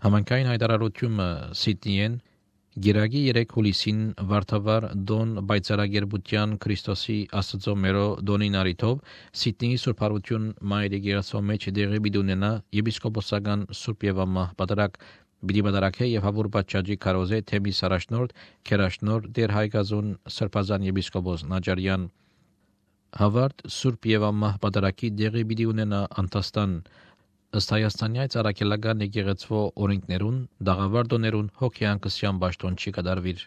Համանքային հայտարարությունը Սիդնիեն Գիրագի 3 հուլիսին Վարդավառ Դոն Բայցարագերբության Քրիստոսի Աստծո մերո Դոնին արիթով Սիդնեի Սուրբ Հարություն Մայր եկեղեցու մեջ դեղի բիդունենա եպիսկոպոսական Սուրբ եւ Ամահ Պատարագ Բիդի Բադարակե եւ Հավուր Բաչաջի Կարոզե թեմի Սարաշնորհ Քերաշնորհ Դեր Հայգազուն Սրբազան եպիսկոպոս Նաջարյան Հավարդ Սուրբ եւ Ամահ Պատարագի դեղի բիդի ունենա Անտաստան ըստ Հայաստանյայ Արաքելական եկեղեցու օրենքներուն դաղավարդոներուն հոգեանկսյան ճաշտոն չի կդարվիր